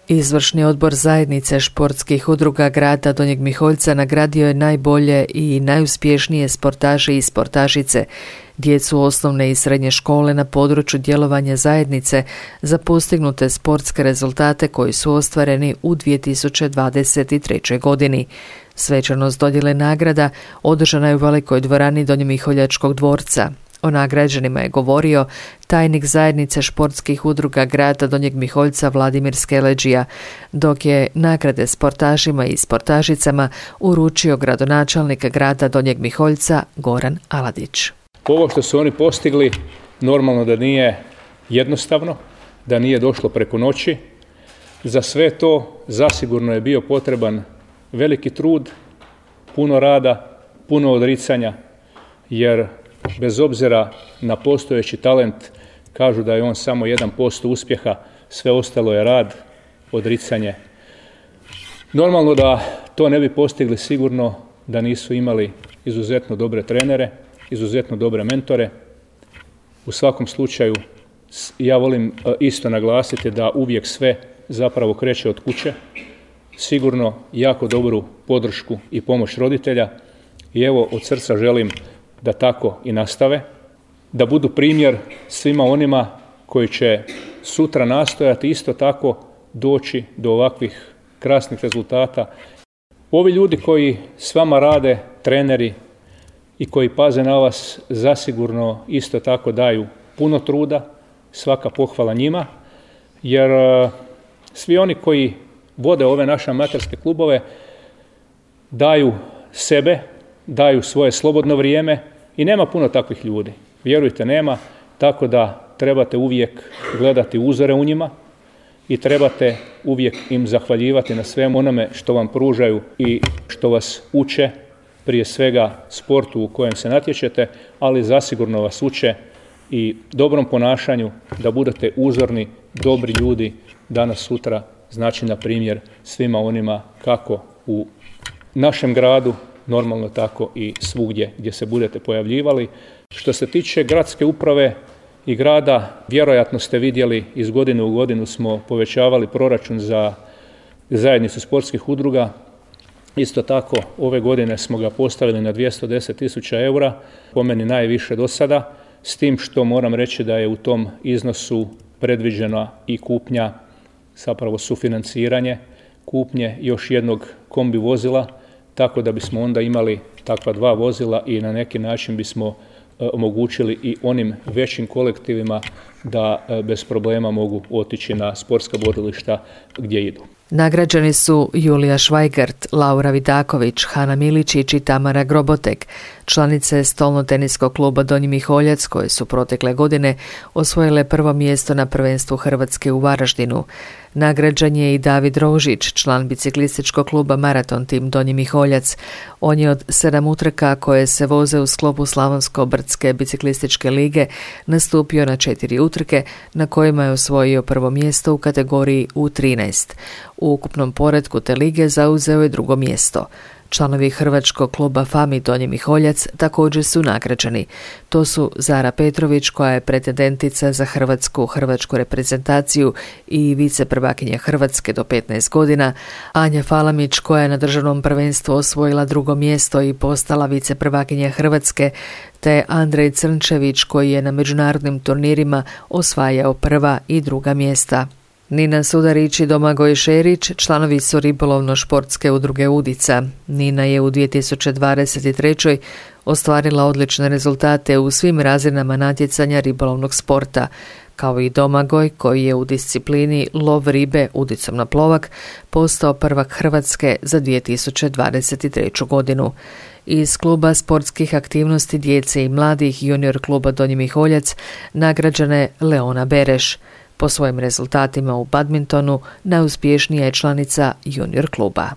Izvršni odbor zajednice športskih udruga grada Donjeg Miholjca nagradio je najbolje i najuspješnije sportaše i sportašice, djecu osnovne i srednje škole na području djelovanja zajednice za postignute sportske rezultate koji su ostvareni u 2023. godini. Svečanost dodjele nagrada održana je u velikoj dvorani Donjomiholjačkog dvorca. O nagrađenima je govorio tajnik zajednice športskih udruga grada Donjeg Miholjca Vladimir Skeleđija, dok je nagrade sportašima i sportašicama uručio gradonačelnik grada Donjeg Miholjca Goran Aladić. Ovo što su oni postigli normalno da nije jednostavno, da nije došlo preko noći. Za sve to zasigurno je bio potreban veliki trud, puno rada, puno odricanja, jer bez obzira na postojeći talent, kažu da je on samo 1% uspjeha, sve ostalo je rad, odricanje. Normalno da to ne bi postigli sigurno da nisu imali izuzetno dobre trenere, izuzetno dobre mentore. U svakom slučaju ja volim isto naglasiti da uvijek sve zapravo kreće od kuće. Sigurno jako dobru podršku i pomoć roditelja i evo od srca želim da tako i nastave, da budu primjer svima onima koji će sutra nastojati isto tako doći do ovakvih krasnih rezultata. Ovi ljudi koji s vama rade, treneri i koji paze na vas, zasigurno isto tako daju puno truda, svaka pohvala njima, jer svi oni koji vode ove naše amaterske klubove daju sebe, daju svoje slobodno vrijeme i nema puno takvih ljudi. Vjerujte, nema, tako da trebate uvijek gledati uzore u njima i trebate uvijek im zahvaljivati na svemu onome što vam pružaju i što vas uče, prije svega sportu u kojem se natječete, ali zasigurno vas uče i dobrom ponašanju, da budete uzorni, dobri ljudi danas sutra, znači na primjer svima onima kako u našem gradu, normalno tako i svugdje gdje se budete pojavljivali. Što se tiče gradske uprave i grada, vjerojatno ste vidjeli iz godine u godinu smo povećavali proračun za zajednicu sportskih udruga. Isto tako ove godine smo ga postavili na 210.000 eura, po meni najviše do sada, s tim što moram reći da je u tom iznosu predviđena i kupnja, zapravo sufinanciranje kupnje još jednog kombi vozila, tako da bismo onda imali takva dva vozila i na neki način bismo omogućili i onim većim kolektivima da bez problema mogu otići na sportska borilišta gdje idu. Nagrađeni su Julija Švajgart, Laura Vidaković, Hana Miličić i Tamara Grobotek, članice stolnoteniskog kluba Donji Miholjac koje su protekle godine osvojile prvo mjesto na prvenstvu Hrvatske u Varaždinu. Nagrađen je i David Rožić, član biciklističkog kluba Maraton Tim Donji Miholjac. On je od 7 utrka koje se voze u sklopu Slavonsko-brdske biciklističke lige nastupio na 4 utrke na kojima je osvojio prvo mjesto u kategoriji U13. U ukupnom poretku te lige zauzeo je drugo mjesto. Članovi Hrvačkog kluba FAMI Donji Miholjac također su nagrađeni. To su Zara Petrović, koja je pretendentica za hrvatsku reprezentaciju i viceprvakinja Hrvatske do 15 godina, Anja Falamić, koja je na državnom prvenstvu osvojila drugo mjesto i postala viceprvakinja Hrvatske, te Andrej Crnčević, koji je na međunarodnim turnirima osvajao prva i druga mjesta. Nina Sudarić i Domagoj Šerić članovi su ribolovno-športske udruge Udica. Nina je u 2023. ostvarila odlične rezultate u svim razinama natjecanja ribolovnog sporta, kao i Domagoj, koji je u disciplini lov ribe udicom na plovak postao prvak Hrvatske za 2023. godinu. Iz kluba sportskih aktivnosti djece i mladih junior kluba Donji Miholjac nagrađena je Leona Bereš. Po svojim rezultatima u badmintonu najuspješnija je članica junior kluba.